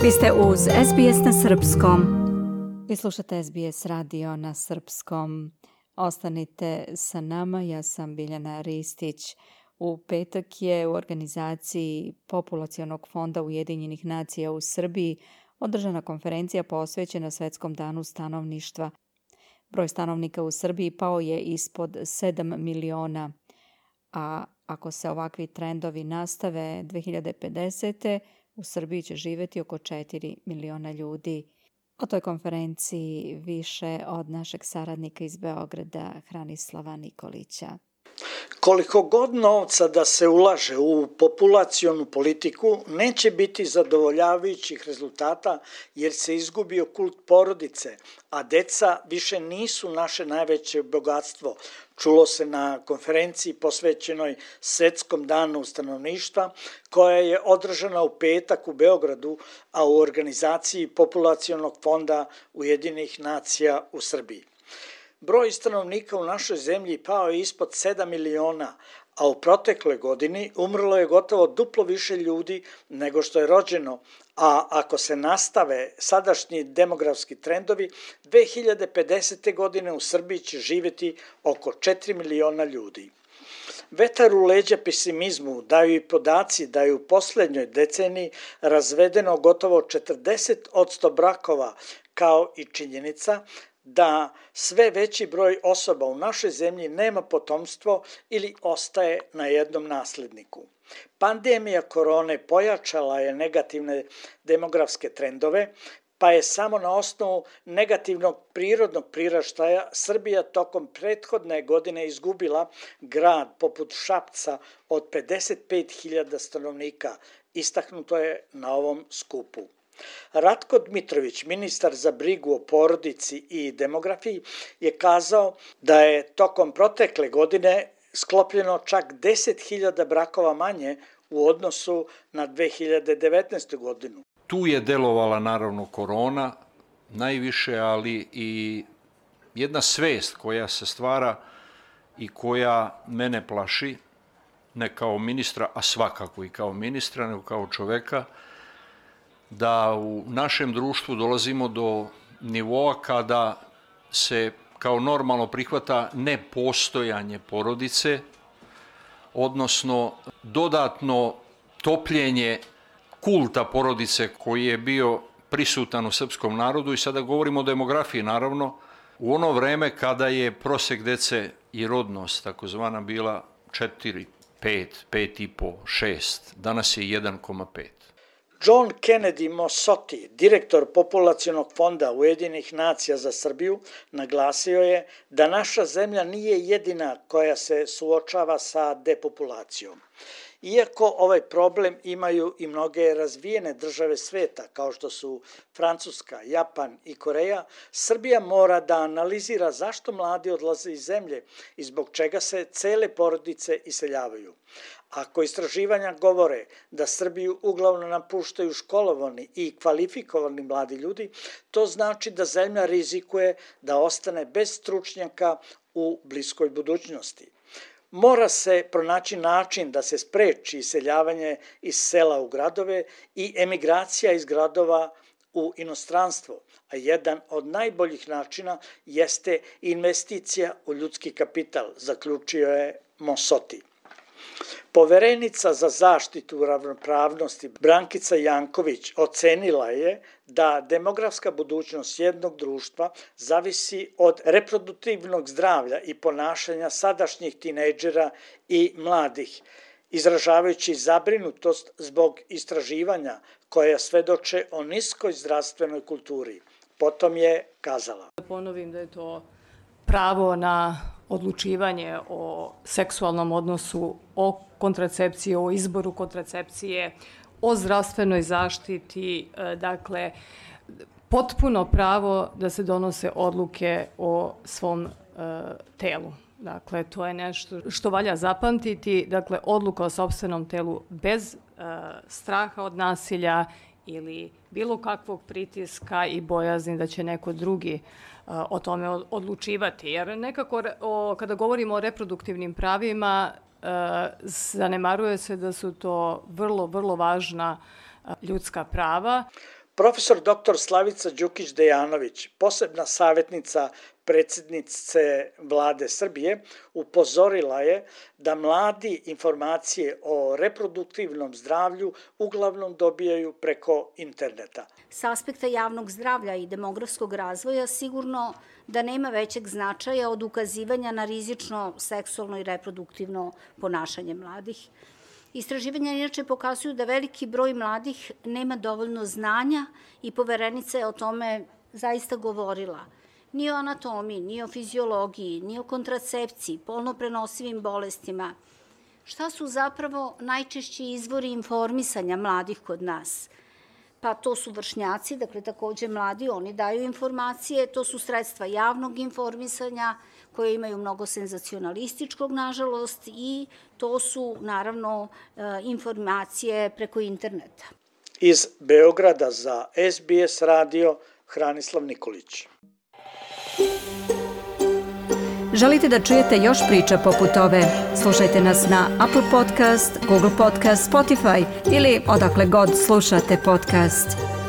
Vi ste uz SBS na srpskom. Vi slušate SBS radio na srpskom. Ostanite sa nama, ja sam Biljana Ristić. U petak je u organizaciji Populacionog fonda Ujedinjenih nacija u Srbiji održana konferencija posvećena Svetskom danu stanovništva. Broj stanovnika u Srbiji pao je ispod 7 miliona, a ako se ovakvi trendovi nastave 2050. u Srbiji će živjeti oko 4 miliona ljudi. O toj konferenciji više od našeg saradnika iz Beograda, Hranislava Nikolića. Koliko god novca da se ulaže u populacionu politiku, neće biti zadovoljavajućih rezultata jer se izgubio kult porodice, a deca više nisu naše najveće bogatstvo. Čulo se na konferenciji posvećenoj Svetskom danu stanovništva, koja je održana u petak u Beogradu, a u organizaciji Populacionog fonda Ujedinjenih nacija u Srbiji. Broj stanovnika u našoj zemlji pao je ispod 7 miliona, a u protekloj godini umrlo je gotovo duplo više ljudi nego što je rođeno, a ako se nastave sadašnji demografski trendovi, 2050. godine u Srbiji će živjeti oko 4 miliona ljudi. Vetar u leđa pesimizmu daju i podaci da je u posljednjoj deceniji razvedeno gotovo 40% brakova, kao i činjenica da sve veći broj osoba u našoj zemlji nema potomstvo ili ostaje na jednom nasledniku. Pandemija korone pojačala je negativne demografske trendove, pa je samo na osnovu negativnog prirodnog priraštaja Srbija tokom prethodne godine izgubila grad poput Šapca od 55.000 stanovnika, istaknuto je na ovom skupu. Ratko Dmitrović, ministar za brigu o porodici i demografiji, je kazao da je tokom protekle godine sklopljeno čak 10.000 brakova manje u odnosu na 2019. godinu. Tu je delovala naravno korona najviše, ali i jedna svest koja se stvara i koja mene plaši, ne kao ministra, a svakako i kao ministra, nego kao čoveka, da u našem društvu dolazimo do nivoa kada se kao normalno prihvata nepostojanje porodice, odnosno dodatno topljenje kulta porodice koji je bio prisutan u srpskom narodu, i sada govorimo o demografiji naravno, u ono vreme kada je prosek dece i rodnost takozvana bila 4, 5, 5,5, 6, danas je 1,5. John Kennedy Mosoti, direktor Populacionog fonda Ujedinjenih nacija za Srbiju, naglasio je da naša zemlja nije jedina koja se suočava sa depopulacijom. Iako ovaj problem imaju i mnoge razvijene države sveta, kao što su Francuska, Japan i Koreja, Srbija mora da analizira zašto mladi odlaze iz zemlje i zbog čega se cele porodice iseljavaju. Ako istraživanja govore da Srbiju uglavnom napuštaju školovani i kvalifikovani mladi ljudi, to znači da zemlja rizikuje da ostane bez stručnjaka u bliskoj budućnosti. Mora se pronaći način da se spreči iseljavanje iz sela u gradove i emigracija iz gradova u inostranstvo, a jedan od najboljih načina jeste investicija u ljudski kapital, zaključio je Mosoti. Poverenica za zaštitu ravnopravnosti Brankica Janković ocenila je da demografska budućnost jednog društva zavisi od reproduktivnog zdravlja i ponašanja sadašnjih tinejdžera i mladih, izražavajući zabrinutost zbog istraživanja koja svedoče o niskoj zdravstvenoj kulturi. Potom je kazala. Da ponovim da je to pravo na odlučivanje o seksualnom odnosu, o kontracepciji, o izboru kontracepcije, o zdravstvenoj zaštiti, dakle, potpuno pravo da se donose odluke o svom telu. Dakle, to je nešto što valja zapamtiti, dakle, odluka o sopstvenom telu bez straha od nasilja ili bilo kakvog pritiska i bojazni da će neko drugi o tome odlučivati. Jer nekako kada govorimo o reproduktivnim pravima, zanemaruje se da su to vrlo, vrlo važna ljudska prava. Profesor dr. Slavica Đukić-Dejanović, posebna savjetnica predsjednice Vlade Srbije, upozorila je da mladi informacije o reproduktivnom zdravlju uglavnom dobijaju preko interneta. S aspekta javnog zdravlja i demografskog razvoja sigurno da nema većeg značaja od ukazivanja na rizično seksualno i reproduktivno ponašanje mladih. Istraživanja inače pokazuju da veliki broj mladih nema dovoljno znanja i Poverenica je o tome zaista govorila. Ni o anatomiji, ni o fiziologiji, ni o kontracepciji, polno prenosivim bolestima. Šta su zapravo najčešći izvori informisanja mladih kod nas? Pa to su vršnjaci, dakle takođe mladi, oni daju informacije, to su sredstva javnog informisanja koje imaju mnogo senzacionalističkog, nažalost, i to su naravno informacije preko interneta. Iz Beograda za SBS radio Hranislav Nikolić. Želite da čujete još priča poput ove? Slušajte nas na Apple Podcast, Google Podcast, Spotify ili odakle god slušate podcast.